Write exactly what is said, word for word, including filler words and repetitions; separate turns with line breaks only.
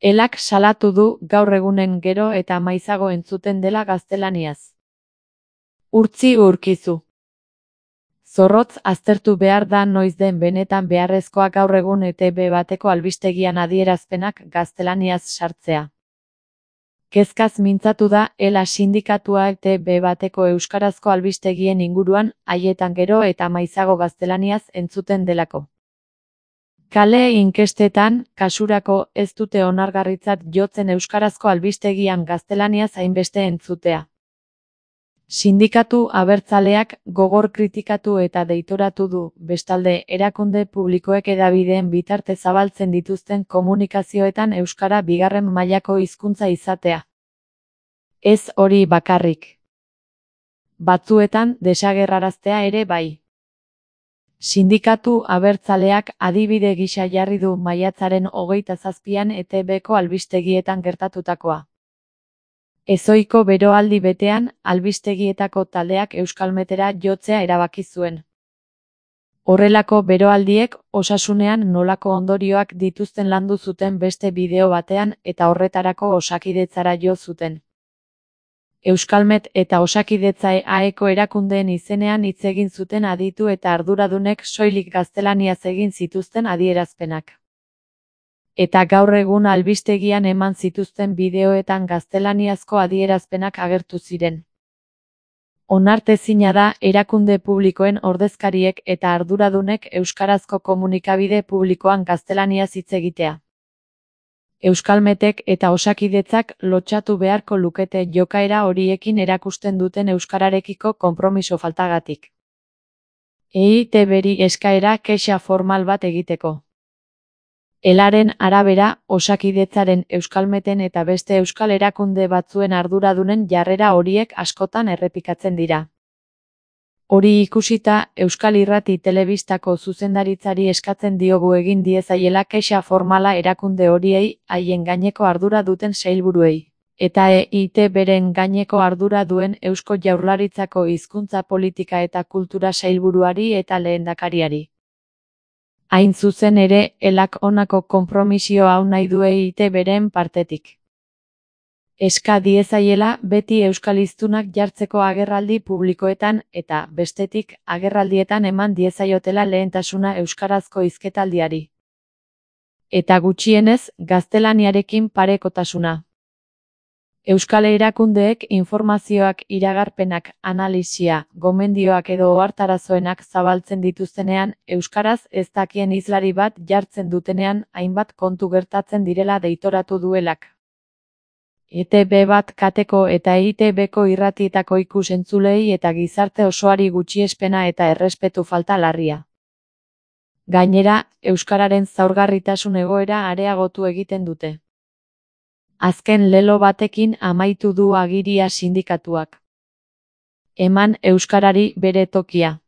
Elak salatu du gaur egunen gero eta maizago entzuten dela gaztelaniaz. Urtzi urkizu. Zorrotz aztertu behar da noiz den benetan beharrezkoa gaur egun E T B bateko albistegian adierazpenak gaztelaniaz sartzea. Kezkaz mintzatu da Ela sindikatua E T B bateko euskarazko albistegien inguruan haietan gero eta maizago gaztelaniaz entzuten delako. Kale inkestetan, kasurako, ez dute onargarritzat jotzen euskarazko albistegian gaztelaniaz hainbeste entzutea. Sindikatu abertzaleak gogor kritikatu eta deitoratu du, bestalde, erakunde publikoek hedabideen bitarte zabaltzen dituzten komunikazioetan euskara bigarren mailako hizkuntza izatea. Ez hori bakarrik. Batzuetan desagerraraztea ere bai. Sindikatu abertzaleak adibide gisa jarri du maiatzaren hogeita zazpian E T Bko albistegietan gertatutakoa. Ezohiko beroaldi betean, albistegietako taldeak euskalmetera jotzea erabaki zuen. Horrelako beroaldiek osasunean nolako ondorioak dituzten landu zuten beste bideo batean eta horretarako Osakidetzara jo zuten. Euskalmet eta Osakidetza E A Eko erakundeen izenean hitz egin zuten aditu eta arduradunek soilik gaztelaniaz egin zituzten adierazpenak. Eta gaur egun albistegian eman zituzten bideoetan gaztelaniazko adierazpenak agertu ziren. Onartezina da erakunde publikoen ordezkariek eta arduradunek euskarazko komunikabide publikoan gaztelaniaz hitz egitea. Euskalmetek eta Osakidetzak lotsatu beharko lukete jokaera horiekin erakusten duten euskararekiko konpromiso faltagatik. E I T Bri eskaera kexa formal bat egiteko. Elaren arabera, Osakidetzaren, Euskalmeten eta beste euskal erakunde batzuen arduradunen jarrera horiek askotan errepikatzen dira. Hori ikusita, Euskal Irrati Telebistako zuzendaritzari eskatzen diogu egin diezaiela kexa formala erakunde horiei, haien gaineko ardura duten sailburuei, eta E I T Bren gaineko ardura duen Eusko Jaurlaritzako hizkuntza politika eta kultura sailburuari eta lehendakariari. Hain zuzen ere, Elak honako konpromisio hau nahi du E I T Bren partetik. Eska diezaiela beti euskaliztunak jartzeko agerraldi publikoetan eta, bestetik, agerraldietan eman diezaiotela lehentasuna euskarazko hizketaldiari. Eta gutxienez, gaztelaniarekin parekotasuna. Euskal erakundeek informazioak, iragarpenak, analisia, gomendioak edo ohartarazoenak zabaltzen dituztenean, euskaraz ez dakien hizlari bat jartzen dutenean hainbat kontu gertatzen direla deitoratu duelak. E T B bat kateko eta E I T Bko irratietako ikus-entzulei eta gizarte osoari gutxiespena eta errespetu falta larria. Gainera, euskararen zaurgarritasun egoera areagotu egiten dute. Azken lelo batekin amaitu du agiria sindikatuak. Eman euskarari bere tokia.